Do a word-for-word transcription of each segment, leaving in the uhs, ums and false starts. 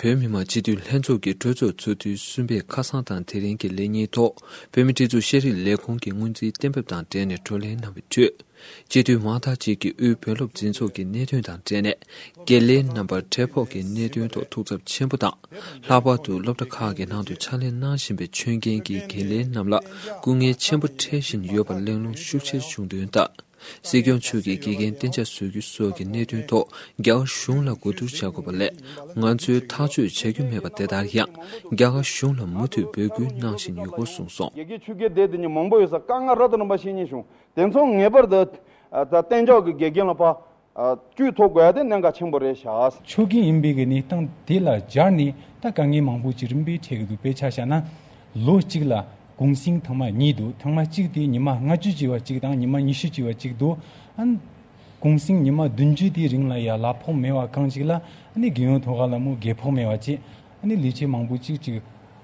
བོད་མི་མང་སྤྱི་འཐུས་ལྷན་ཚོགས་ཀྱི་གྲོས་ཚོགས་ཚོགས་དུས་གསུམ་པའི་ཁ་སང་དང་དེ་རིང་གི་ལས་ཉིན་ཐོག་བོད་མིའི་སྒྲིག་འཛུགས་ཤེས་རིག་ལས་ཁུངས་ཀྱི་སྔོན་རྩིས་གཏན་འབེབས་དང་འབྲེལ་ནས་བགྲོ་གླེང་གནང་བའི་ཁྲོད། སྤྱི་འཐུས་མང་དག་ཅིག་གིས་དབུས་བོད་སློབ་འཛིན་ཚོགས་ཀྱི་གནད་དོན་དང་འབྲེལ་ནས། དགེ་ལས་རྣམ་པར་འབྲས་ཕོག་གི་གནད་དོན་ཐོག་ཐུགས་འཚབ་ཆེན་པོ་དང་། ལྷག་པར་དུ་སློབ་གྲྭ་ཁག་གི་ནང་དུ་ཕྱག་ལས་གནང་བཞིན་པའི་ཆོས་མཁན་གྱི་དགེ་ལས་རྣམས་ལ་སྐུ་ངལ་ཆེན་པོ་འཕྲད་བཞིན་ཡོད་པར་གླེང་སློང་ཤུགས་ཆེར་བྱུང་དོན་ལྟར། སྲིད་སྐྱོང་མཆོག་གིས་དགེ་རྒན་གཏན་འཇགས་བཟོ་རྒྱུ་སོགས་ཀྱི་གནད་དོན་ཐོག་རྒྱ་གར་གཞུང་ལ་གོ་བསྡུར་བྱ་དགོས་པ་ལས། ང་ཚོས་ཐག་གཅོད་བྱ་རྒྱུ་མེད་པ་དེ་ལྟར་ཡང་རྒྱ་གར་གཞུང་ལ་མུ་མཐུད་འབོད་སྐུལ་གནང་བཞིན་ཡོད་སྐོར་གསུངས་སོང་། དགེ་རྒན་ཆོས་དགེ་སྡེ་དེ་ཉིད་མང་པོ་ཡོད་ས། དཀའ་ངལ་རབ་དང་རིམ་པ་བཤད་མཁན་བྱུང་། དེ་ཚོ་ངེས་པར་དུ་ད་གཏན་འཇགས་ཀྱི་དགེ་རྒན་ལ་ཕར་བཅུད་ཐོབ་དགོས་ཡ་དེ་གནད་འགག་ཆེན་པོ་རེད་ཤག། ཆོས་དགེ་ཡིན་པའི་གི་གནས་སྟངས་དེ་ལ་སྦྱར་ནས་ད་དཀའ་ངལ་མང་པོ་ཅིག་རིམ་པས་འཕྲད་ཀྱི་འདུག། དཔེ་ཆ་བཞག་ན་ལོ་གཅིག་ལ་གུང་སེང་ཐེངས་མ་གཉིས་འདུག། ཐེངས་མ་གཅིག་དེ་ཉི་མ་ལྔ་བཅུ་བྱས་པ་གཅིག་དང་ཉི་མ་ཉི་ཤུ་བྱས་པ་གཅིག་འདུག། ཨ་ནི་གུང་སེང་ཉི་མ་བདུན་ཅུ་དེའི་རིང་ལ་ཡ་གླ་ཕོགས་མེད་པ་གང་ཅིག་ལ། ཨ་ནི་རྒན་ཡོལ་ཐོག་ཁ་ལ་མོ་རྒས་ཕོགས་མེད་པ་བྱས། ཨ་ནི་ལས་བྱེད་མང་པོ་གཅིག་ཅིག་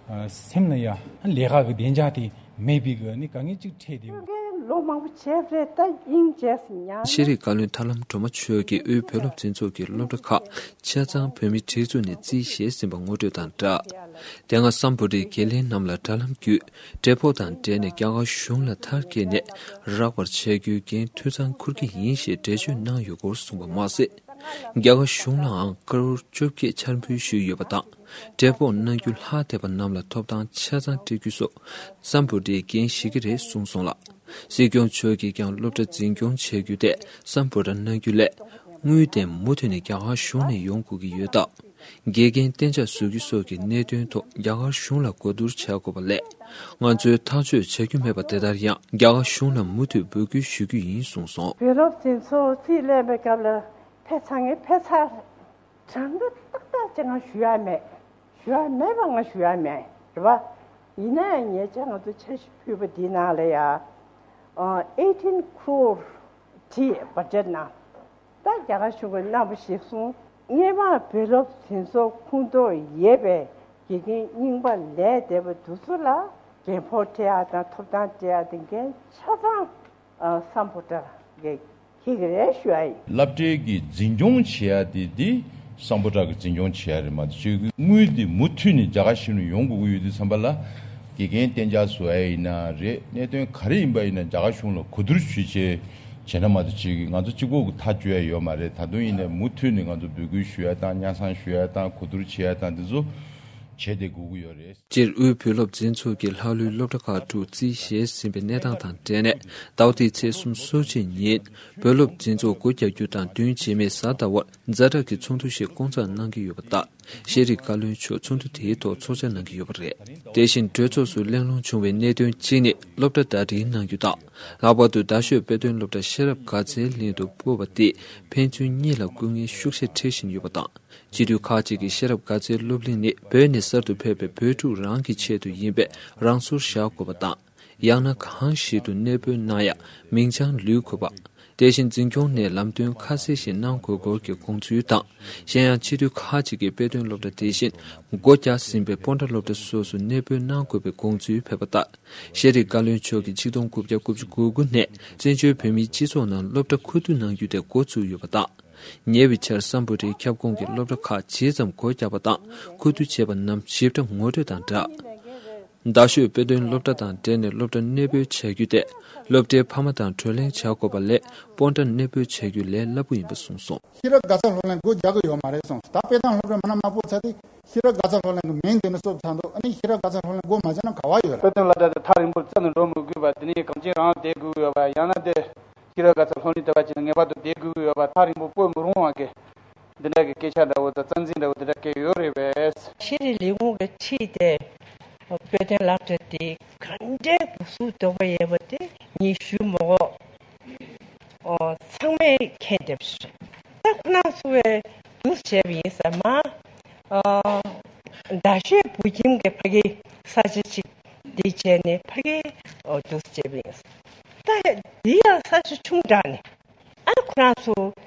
ཨ་སེམས་ལ་ཡ་ཨ་ལས་ཀ་གི་བདེ་འཇགས་དེ་མེད་པའི་གི་ཨ་ནི་དཀའ་ངལ་ཅིག་འཕྲད་དེ། ལོ་མང་པོ་བྱས་རེད། ད་དབྱིངས་བྱས་སུ་ཉར། ཤེས་རིག་བཀའ་བློན་ཐར་ལམ་སྒྲོལ་མ་མཆོག་གིས་དབུས་བོད་སློབ་འཛིན་ཚོགས་ཀྱི་སློབ་གྲྭ་ཁག་ཆ་ཚང་བོད་མིའི་སྒྲིག་འཛུགས་ནས་རྩིས་བཞེས་ཟིན་པ་ངོ་སྤྲོད་དང་སྦྲགས། དེ་སྔ་སམ་བྷོ་ཊའི་དགེ་ལས་རྣམས་ལ་དྲ་ལམ་བརྒྱུད་འབྲས་ཕོག་དང་འབྲེལ་ནས་རྒྱ་གར་གཞུང་ལ་མཐར་སྐྱེལ་ནས་རག་པར་བྱ་རྒྱུའི་འགན་འཐུས་ཚང་འཁུར་གྱི་ཡིན་ཞེས་འགྲེལ་བརྗོད་གནང་ཡོད་སྐོར་གསུངས་པ་མ་ཟད། རྒྱ་གར་གཞུང་ལའང་ཀ་རོར་བཅོ་བརྒྱད་འཆར་འབུལ་ཞུས་ཡོད་པ་དང་། འབྲས་ཕོག་གནང་རྒྱུ་ལྷག་བསྡད་པ་རྣམས་ལ་ཐོབ་ཐང་ཆ་ཚང་སྤྲད་རྒྱུ་སོགས་སམ་བྷོ་ཊའི་འགན་བཞེས་ཀྱི་རེད་གསུངས་སོང་ལ། སྲིད་སྐྱོང་མཆོག་གིས་ཀྱང་སློབ་གྲྭ་འཛིན་སྐྱོང་བྱ་རྒྱུ་དེ་སམ་བྷོ་ཊ་གནང་རྒྱུ་ལས་དངུལ་དེ་མུ་མཐུད་ནས་རྒྱ་གར་གཞུང་ནས་ཡོང་དགོས་ཀྱི་ཡོད་སྟབས། དགེ་རྒན་གཏན་འཇགས་བཟོ་རྒྱུ་སོགས་ཀྱི་གནད་དོན་ཐོག་རྒྱ་གར་གཞུང་ལ་གོ་བསྡུར་བྱ་དགོས་པ་ལས། ང་ཚོས་ཐག་གཅོད་བྱ་རྒྱུ་མེད་པ་དེ་ལྟར་ཡང་རྒྱ་གར་གཞུང་ལ་མུ་མཐུད་འབོད་སྐུལ་ཞུ་རྒྱུ་ཡིན་གསུངས་སོང་། བོད་སློབ་འཛིན་ཚོགས་རྩིས་ལེན་པའི་སྐབས་ལ་ཕེབས་ཚར་ངས་ཕེབས་ཚར། གྲངས་ཀ་ཏག་ཏག་ཅིག་ང་ཞུ་ཡ་མེད། ཞུ་ཡ་མེད་པ་ང་ཞུ་ཡ་མེད་རེད་པ། ཡིན་ན་ཡང་ཉེ་ཆར་ང་ཚོ་འཆར་གཞི་ཕུལ་བ་འདི་ནང་ལ་ཡ་eighteen crore དེ་budget ནང་ད་རྒྱ་གར་གཞུང་གིས་གནང་བ་ཞིག་སོང་། སྔས་མ་བོད་སློབ་འཛིན་ཚོགས་ཁོངས་གཏོགས་ཡོད་པའི་དགེ་རྒན་རྙིང་པ་ལས་བསྡད་པ་དེ་ཚོ་ལ་འགན་ཕོགས་སྤྲད་ཡ་དང་ཐོབ་ཐང་སྤྲད་ཡ་དེ་འགན་ཆ་ཚང་ཨ་སམ་བྷོ་ཊ་གིས་འཁྱེར་གྱི་རེད་ཞུ་ཡ་ཡིན། སློབ་གྲྭའི་གི་འཛིན་སྐྱོང་བྱེད་ཡ་དེ་དེ་སམ་བྷོ་ཊ་གི་འཛིན་སྐྱོང་བྱེད་ཡ་རེད་མ་གཏོགས་ཅིག་དངུལ་དེ་མུ་མཐུད་ནས་རྒྱ་གར་གཞུང་ནས་ཡོང་དགོས་ཀྱི་ཡོད་དུས་ཙམ་པ་ལ། དགེ་རྒན་གཏན་འཇགས་བཟོ་ཡ་ཡིན་ན་རེད། གནད་དོན་ག་རེ་ཡིན་པ་ཡིན་ན་རྒྱ་གར་གཞུང་ལ་གོ་བསྡུར་ཞུས་བྱས་བྱས་ན་མ་གཏོགས་ཅིག་ང་ཚོ་གཅིག་པོ་གི་ཐག་གཅོད་ཡ་ཡོད་མ་རེད། ད་དུང་ཡིན་ནའི་མུ་མཐུད་ནས་ང་ཚོ་འབོད་སྐུལ་ཞུ་ཡ་དང་སྙན་སེང་ཞུ་ཡ་དང་གོ་བསྡུར་བྱེད་ཡ་དང་དེ་ཚོ་བྱས་ཏེ་དགོས་ཀྱི་ཡོད་རེད། སྤྱིར་དབུས་བོད་སློབ་འཛིན་ཚོགས་ཀྱིས་ལྷག་ལུས་སློབ་གྲྭ་ཁག་དྲུག་རྩིས་བཞེས་ཟིན་པའི་གནས་སྟངས་དང་འབྲེལ་ནས། ཟླ་བ་འདིའི་ཚེས་གསུམ་སོ་གཅིག་ཉིན་བོད་སློབ་འཛིན་ཚོགས་སྒོ་རྒྱག་རྒྱུ་དང་བདུན་རྗེས་མའི་གཟའ་ཟླ་བར་ཛ་དྲག་གི་ཚོགས་འདུ་ཞིག་བསྐོང་ཚོགས་གནང་གི་ཡོད་པ་ལྟར། ཤེས་རིག་བཀའ་བློན་མཆོག་ཚོགས་འདུ་དེའི་ཐོག་ཚོགས་བཅར་གནང་གི་ཡོད་པ་རེད། དེ་བཞིན་གྲོས་ཚོགས་སུ་གླེང་སློང་བྱུང་བའི་གནད་དོན་གཅིག་ནི་སློབ་གྲྭ་ཟླ་སྒྲིལ་གནང་རྒྱུ་དང་། ལྷག་པར་དུ་རྡ་ཤོད་དཔེ་སྟོན་སློབ་གྲྭ་ཤེས་རབ་དགའ་ཚལ་གླིང་དུ་སྤོ་བ་དེས་ཕན་ཚུན་གཉིས་ལ་སྐུ་ངལ་ཤུགས་ཆེ་འཕྲད་བཞིན་ཡོད་པ་དང་། སྤྱི་འཐུས་ཁག་ཅིག་གིས་ཤེས་རབ་དགའ་ཚལ་སློབ་གླིང་ནི་བོད་ནས་གསར་དུ་ཕེབས་པའི་བོད་ཕྲུག་རང་གི་ཆེད་དུ་ཡིན་པས་རང་སོར་བཞག་དགོས་པ་དང་། ཡང་ན་གང་ཞིག་ཏུ་གནས་སྤོ་གནང་ཡ་མིང་བྱང་ལུས་དགོས་པ། དེ་བཞིན་འཛིན་སྐྱོང་ནས་ལམ་སྟོན་ཁ་གསལ་ཞིག་གནང་དགོས་སྐོར་གྱི་དགོངས་ཚུལ་དང་། གཞན་ཡང་སྤྱི་འཐུས་ཁག་ཅིག་གིས་དཔེ་སྟོན་སློབ་གྲྭ་དེ་བཞིན་སྒོ་རྒྱག་ཟིན་པའི་སྤོན་ཊ་སློབ་གྲྭ་སོགས་སུ་གནས་སྤོ་གནང་དགོས་པའི་དགོངས་ཚུལ་ཕེབས་པ་ལྟར། ཤེས་རིག་བཀའ་བློན་མཆོག་གིས་ཆིག་སྟོང་དགུ་བརྒྱ་དགུ་བཅུ་གོ་དགུ་ནས་བཙན་བྱོལ་བོད་མིའི་སྤྱི་ཚོགས་ནང་སློབ་གྲྭ་མཁོ་བསྡུ་གནང་རྒྱུ་དེ་འགོ་བཙུགས་ཡོད་པ་དང་། ཉེ་བའི་ཆར་སམ་བྷོ་ཊའི་ཁྱབ་ཁོངས་ཀྱི་སློབ་གྲྭ་ཁག་ཇི་ཙམ་སྒོ་བརྒྱབ་པ་དང་མཁོ་བསྡུ་བྱས་པ་རྣམས་ཞིབ་ཕྲ་ངོ་སྤྲོད་དང་སྦྲགས། རྡ་ཤོད་དཔེ་སྟོན་སློབ་གྲྭ་དང་འབྲེལ་ནས་སློབ་གྲྭ་གནས་སྤོ་བྱ་རྒྱུ་དེ་སློབ་གྲྭའི་ཕ་མ་དང་བགྲོ་གླེང་བྱ་དགོས་པ་ལས་སྤོན་ཊ་གནས་སྤོ་བྱ་རྒྱུ་ལས་སླ་པོ་ཡིན་པ་གསུངས་སོང་། ཤེས་རབ་དགའ་ཚལ་སློབ་གླིང་སྒོ་རྒྱག་གི་ཡོད་མ་རེད་གསུངས། ད་དཔེ་སྟོན་སློབ་གྲྭ་མ་ན་མ་སྤོ་ཚར་དུས་ཤེས་རབ་དགའ་ཚལ་སློབ་གླིང་གི་མིང་དེ་ནི་གསོབ་ཚར་འདུག། ཨ་ནི་ཤེས་རབ་དགའ་ཚལ་སློབ་གླིང་སྒོ་མ་རྒྱག་ན་ག་བ་ཡོད་རེད། དཔེ་སྟོན་སློབ་གྲྭ་དེ་ཐག་རིང་པོར་བཙལ་ནས་འགྲོ་མི་དགོས་པ་དེ་ནི་གངས་ཅན་རང་བསྡད་དགོས་ཡོད་པ། ཡང་ན་དེ་ཤེས་རབ་དགའ་ཚལ་སློབ་གླིང་དེ་བ་ཅིག་ངེས་པར་དུ་བསྡད་དགོས་ཡོད་པ། ཐག་རིང་པོ་སྤོ་མི་རུང་བ་གི་འདི་འདྲ་གི་སྐད་ཆ་འདྲ་བོ་དང་རྩ་འཛིན་འདྲ་བོ་འདི་འདྲ་སྐད་ཡོད་རེད་པས། ཤེས་རིག་ལས་ཁུངས་ཀྱིས་ཁྲིད་དེ་དཔེ་སྟོན་སློབ་གྲྭ་དེ་ག་འདྲའི་འགོ་ཚུགས་འདོད་པ་ཡོད་པ་དེ་ངས་ཞུ་མི་དགོས། ཨོ། ཚང་མས་མཁྱེན་བསྡད་པ་ཞིག་རེད། ད་ཁོ་རང་ཚོ་བས་འདུག་བྱས་པ་ཡིན་ཟེར་མ། ཨོ། རྡ་ཤོད་བོད་ཁྱིམ་གྱི་ཕ་གི་ས་ཆ་ཅིག་དེ་བྱས་ནས་ཕ་གི་ཨོ་འདུག་བྱས་པ་ཡིན་ཟེར། ད་དེ་ཡང་ས་ཆ་ཆུང་དྲགས་ནས། ཨ་ཁོ་རང་ཚོ་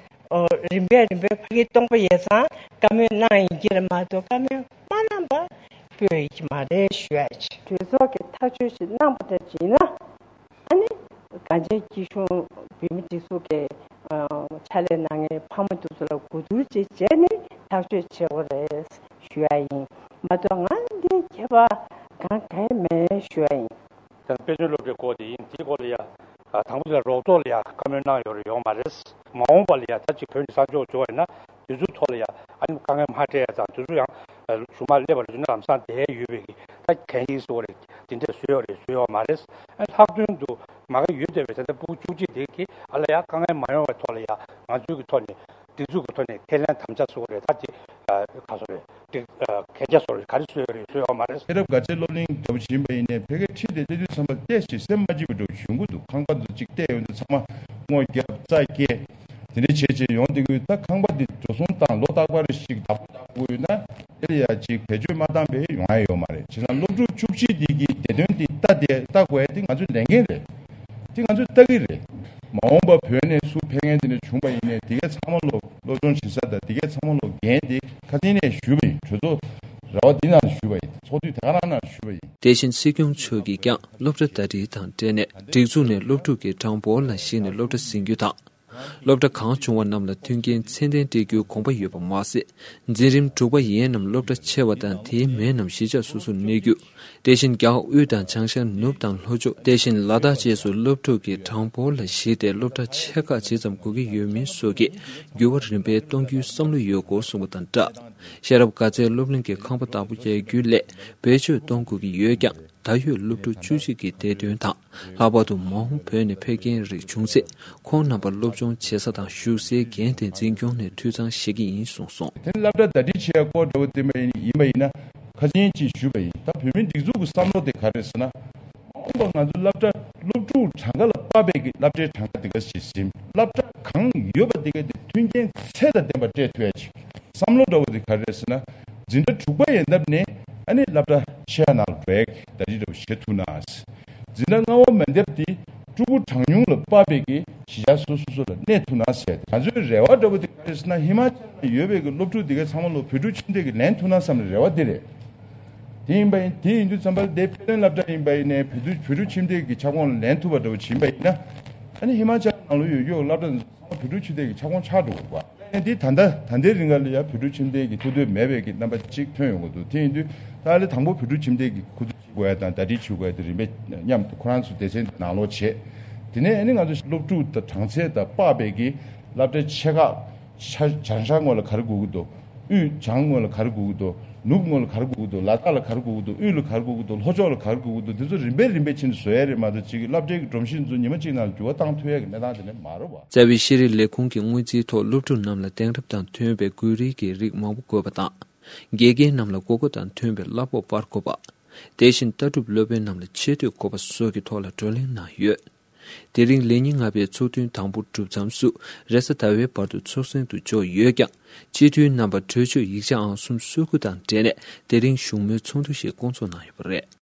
ཨོ་རིམ་པས་རིམ་པས་ཕ་གི་སྟོང་པ་ཡས་ཙང་བཀའ་མོལ་གནང་ཡིན་གྱི་རེད་མ་གཏོགས་བཀའ་མོལ་མ་གནང་པ་སྤོ་ཡི་གི་མ་རེད་ཞུ་ཡ་ཅིག། གྲོས་ཚོགས་ཀྱིས་ཐག་གཅོད་ཞིག་གནང་པ་འདྲ་ཅིག་ཡིན་ན། ཨ་ནི་གངས་ཅན་སྐྱིད་གཤོངས་བོད་མི་སྒྲིག་འཛུགས་ཀྱི་ཕྱག་ལས་གནང་མཁན་ཕ་མ་དེ་ཚོ་ལ་གོ་བསྡུར་ཅིག་བྱས་ནས་ཐག་གཅོད་བྱེད་དགོས་རེད། ཞུ་ཡ་ཡིན། མ་གཏོགས་ང་འདི་ཁྱད་པར་གང་གང་མེད་ཞུ་ཡ་ཡིན། དཔེ་མཚོན་སློབ་གྲྭའི་སྐོར་དེ་ཡིན། དེའི་སྐོར་ལ་ཡ། དང་པོ་དེ་ལ་རོགས་ཐོག་ལ་ཡ་བཀའ་མོལ་གནང་ཡོད་རེད། ཡོང་མ་རེད། མ་འོངས་པ་ལ་ཡ་ད་ཅིག་བོད་ནས་གསར་འབྱོར་འབྱོར་བ་ཡིན་ན་དེ་ཚོའི་ཐོག་ལ་ཡ་ཨ་ནི་དཀའ་ངལ་མ་འཕྲད་ཡ་དང་དེ་ཚོ་ཡང་གཞུག་མ་སླེབས་པ་རེད་ན་ལམ་སང་བསྡད་ཡོད་པའི་གི་ད་གན་ཡིག་བཟོ་བ་རེད། དེ་འདྲས་བཟོས་ཡོད་རེད། བཟོས་ཡོད་མ་རེད། ཨ་ལྷག་དོན་དུ་མ་གི་ཡོད་བསྡད་པའི་ད་ལྟ་ཕྲུ་གུ་བཅུ་གཅིག་དེ་གི་ཨ་ལ་ཡ་དཀའ་ངལ་མ་ཡོང་བའི་ཐོག་ལ་ཡ་ང་ཚོའི་གི་ཐོག་ནས་སྒྲིག་འཛུགས་ཀྱི་ཐོག་ནས་ཁས་ལེན་དམ་བཅའ་བཟོ་བ་རེད། ད་དེ་ག་ཚོད་རེད། དེ་གན་རྒྱ་བཟོ་རེད། ག་རེ་བཟོས་ཡོད་རེད། བཟོས་ཡོད་མ་རེད། ཤེས་རབ་དགའ་ཚལ་སློབ་གླིང་འདྲ་བོ་ཡིན་པ་ཡིན་ནའི་ཕ་གིར་ཁྲིད་དེ་སླེབས་དུས་ཙམ་པ་ཏོག་ཙམ་སེམས་མ་སྐྱིད་པ་འདྲ་བོ་ཞིག་ཡོང་གི་འདུག་ཁང་པ་ཚོ་གཅིག་བལྟས་ཡོང་དུས་ཚང་མ་སྔོ་བརྒྱབ་རྩྭ་སྐྱེས་དེ་འདྲ་བྱས་བྱས་ཡོང་བསྡད་ཀྱི་ཡོད། ད་ཁང་པ་འདི་འགྲོ་སོང་བཏང་ལོ་རྟག་པར་ཞིག་བདག་པོ་བཏང་དགོས་ཡོད་ན་དེ་ལ་ཡ་ཅིག་བེད་སྤྱོད་མ་བཏང་པའི་ཡོང་ཡ་ཡོད་མ་རེད། བྱས་ཙང་སློབ་ཕྲུག་བཅུ་གཅིག་འདི་གི་བདེ་དོན་འདི་ལྟ་དེ་ལྟ་དགོས་ཡ་འདི་ང་ཚོའི་ལས་འགན་རེད། དེ་ང་ཚོས་ལྟ་གི་རེད། མ་འོངས་པ་བོད་ནས་སུ་ཕེབས་མཁན་དེ་འདྲ་བྱུང་པ་ཡིན་ནའི་དེ་གའི་ཚང་མ་ལོ་སློབ་སྦྱོང་བྱེད་ས་དང་དེ་གའི་ཚང་མ་ལོ་འགན་དེ་ཁ་སང་ནས་ཞུས་པ་ཡིན། གྲོས་ཚོགས་ར་བ་འདི་ནང་ཞུས་པ་ཡིན། ཚོགས་དུས་དེ་ག་རང་ནང་ཞུས་པ་ཡིན། དེ་བཞིན་སྲིད་སྐྱོང་མཆོག་གིས་ཀྱང་སློབ་གྲྭ་ཟླ་སྒྲིལ་དང་འབྲེལ་ནས་སྒྲིག་འཛུགས་ནས་སློབ་ཕྲུག་གི་གྲངས་འབོར་ལ་གཞིགས་ནས་སློབ་གྲྭ་ཟིན་རྒྱུ་དང་། སློབ་གྲྭ་གང་བྱུང་བ་རྣམས་ལ་མཐུན་རྐྱེན་ཚད་ལྡན་སྤྲད་རྒྱུའི་དགོངས་པ་ཡོད་པ་མ་ཟད། འཛིན་རིམ་དྲུག་པ་ཡན་རྣམས་སློབ་གྲྭ་ཆེ་བ་དང་དེའི་མན་རྣམས་གཞིས་ཆགས་སོ་སོར་གནས་རྒྱུ། དེ་བཞིན་རྒྱ་གར་དབུས་དང་བྱང་ཤར་ནུབ་དང་ལྷོ་ཕྱོགས། དེ་བཞིན་ལ་དྭགས་བཅས་སུ་སློབ་ཕྲུག་གི་གྲངས་འབོར་ལ་གཞིགས་ཏེ་སློབ་གྲྭ་ཆེ་ཁག་ཇི་ཙམ་དགོས་ཀྱི་ཡོད་མིན་སོགས་ཀྱི་འགྱུར་བ་རིམ་པས་གཏོང་རྒྱུའི་བསམ་བློ་ཡོད་སྐོར་གསུངས་པ་དང་སྦྲགས། ཤེས་རབ་དགའ་ཚལ་སློབ་གླིང་གི་ཁང་པ་བདག་པོ་རྒྱག་རྒྱུའི་སླད་བེད་སྤྱོད་གཏོང་དགོས་ཀྱི་ཡོད་ཀྱང་། ད་ཡོད་སློབ་ཕྲུག་བཅུ་གཅིག་གི་བདེ་དོན་དང་། ལྷག་པར་དུ་མ་འོངས་བོད་ནས་ཕེབས་མཁན་རིགས་བྱུང་ཚེ། ཁོང་རྣམ་པར་སློབ་སྦྱོང་བྱེད་ས་དང་བཞུགས་སའི་འགན་དེ་འཛིན་སྐྱོང་ནས་འཐུས་ཚང་བྱེད་ཀྱི་ཡིན་གསུངས་སོང་། དེ་ནི་སློབ་གྲྭ་ཟླ་སྒྲིལ་བྱེད་ཡ་སྐོར་འདྲ་བོ་དེ་མ་ཡིན་ཡིན་པ་ཡིན་ན་ཁ་སང་ཅིག་ཞུས་པ་ཡིན། ད་བོད་མིའི་སྒྲིག་འཛུགས་ཀྱི་བསམ་བློ་དེ་ག་རེ་རེད་ཟེར་ན། མ་འོངས་པ་ང་ཚོ་སློབ་གྲྭ་སློབ་ཕྲུག་གྲངས་ཀ་ལ་དཔག་པའི་གི་སློབ་གྲྭའི་གྲངས་ཀ་དེ་ག་ཞིག་ཟིན། སློབ་གྲྭ་གང་ཡོད་པ་དེ་ག་དེ་མཐུན་རྐྱེན་ཚད་དང་ལྡན་པ་སྤྲད་ཐུབ་ཡ་ཅིག་བསམ་བློ་འདྲ་བོ་དེ་ག་རེ་རེད་ཟེར་ན། འཛིན་གྲྭ་དྲུག་པ་ཡན་འདབ་ནས་ཨ་ནི་སློབ་གྲྭ་ཆེ་བ་ནང་ལ་འགྲོ་ཡ་གི་ཟླ་སྒྲིལ་འདྲ་བོ་བྱེད་ཐུབ་ན། འཛིན་གྲྭ་ལྔ་པ་མན་འདབ་དེ་ཕྲུ་གུ་གྲངས་ཉུང་ལ་དཔག་པའི་གི་གཞིས་ཆགས་སོ་སོ་སོ་ལ་གནས་ཐུབ་ན་ཟེར། ང་ཚོའི་རེ་བ་འདྲ་བོ་དེ་ག་རེ་རེད་ཟེར་ན། ཧི་མ་ཅལ་ལ་ཡོད་པའི་གི་སློབ་ཕྲུག་དེ་གའི་ཚང་མ་ལོ་བོད་ཕྲུག་ཁྱིམ་སྡེ་གི་ལེན་ཐུབ་ན་བསམ་ནས་རེ་བ་དེ་རེད། དེ་ཡིན་པ་ཡིན། དེ་ཡིན་དུས་ཙམ་པ་ལ་དེ་ཕེབས་ལེན་སློབ་གྲྭ་ཡིན་པ་ཡིན་ནའི་བོད་ཕྲུག་བོད་ཕྲུག་ཁྱིམ་སྡེ་གི་ཁྱབ་ཁོངས་ལ་ལེན་ཐུབ་པ་འདྲ་བོ་ཡིན་པ་ཡིན་ན། ཨ་ནི་ཧི་མ་ཅལ་ནང་ལོགས་ཡོད་ཡོད་སློབ་གྲྭ་ཚང་མ་བོད་ཕྲུག་ཁྱིམ་སྡེ་གི་ཁྱབ་ཁོངས་ཆགས་འགྲོ་དགོས་པ། ཨ་ནི་འདི་ད་ལྟ་ད་ལྟའི་རིང་ལ་ཡ་བོད་ཕྲུག་ཁྱིམ་སྡེ་གི་ཐུགས་འདོད་མེད་པའི་གི་རྣམ་པ་གཅིག་ཐོན་ཡོང་གི་འདུག་དེ་ཡིན་དུས་ད་ལྟ་དང་པོ་བོད་ཕྲུག་ཁྱིམ་སྡེ་གི་ཁུ་བསྡུ་བྱེད་དགོས་ཡ་དང་ཟླ་སྒྲིལ་བྱེད་དགོས་ཡ་དེ་རིམ་པས་མཉམ་དུ་ཁོ་རང་ཚོ་སྡེ་ཚན་དེ་ནང་ལོགས་བྱས། དེ་ནས་ཨ་ནི་ང་ཚོ་སློབ་ཕྲུག་དང་གྲངས་ཚད་དང་དཔག་པའི་གི་སློབ་གྲྭ་ཆེ་ཁག་ཤར་བྱང་ཤར་ངོས་ལ་ག་རེ་དགོས་ཀྱི་འདུག་དབུས་བྱང་ངོས་ལ་ག་རེ་དགོས་ཀྱི་འདུག་ནུབ་ངོས་ལ་ག་རེ་དགོས་ཀྱི་འདུག་ལ་དྭགས་ལ་ག་རེ་དགོས་ཀྱི་འདུག་དབུས་ལ་ག་རེ་དགོས་ཀྱི་འདུག་ལྷོ་ཕྱོགས་ལ་ག་རེ་དགོས་ཀྱི་འདུག་དེ་ཚོ་རིམ་པས་རིམ་པས་ཕྱིན་ནས་བཟོ་ཡ་རེད་མ་གཏོགས་ཅིག་སློབ་གྲྭའི་གི་སྒྲོམ་གཞི་ཚོ་ཉི་མ་གཅིག་ནང་ལ་འགྱུར་བ་བཏང་ཐུབ་ཡ་གི་གནས་སྟངས་དེ་འདྲ་མ་རེད་བ། རྩ་བའི་ཤེས་རིག་ལས་ཁུངས་ཀྱི་དངུལ་རྩིས་ཐོག་སློབ་ཕྲུག་རྣམས་ལ་དེང་རབས་དང་མཐུན་པའི་འགུལ་རིས་ཀྱི་རིགས་མང་པོ་དགོས་པ་དང་། དགེ་རྒན་རྣམས་ལ་དགོས་མཁོ་དང་མཐུན་པའི་གླ་ཕོགས་སྤར་དགོས་པ། དེ་བཞིན་ལྟ་གྲུབ་སློབ་དཔོན་རྣམས་ལ་ཆེ་བསྟོད་དགོས་པ་སོགས་ཀྱི་ཐོག་ལ་བགྲོ་གླེང་གནང་ཡོད། དེ་རིང་ལས་ཉིན་ལྔ་པའི་ཚོགས་ཐུན་དང་པོ་གྲུབ་མཚམས་སུ་རེས་གཟའ་ཟླ་བའི་བར་དུ་ཚོགས་ཟིན་དུ་འཇོག་ཡོད་ཀྱང་། སྤྱི་འཐུས་རྣམ་པར་གྲོས་ཆོད་ཡིག་ཆ་ཨང་སུམ་སོ་དགུ་དང་འབྲེལ་ནས་དེ་རིང་བཞུགས་མོལ་ཚོགས་འདུ་ཞིག་བསྐོང་ཚོགས་གནང་ཡོད་པ་རེད།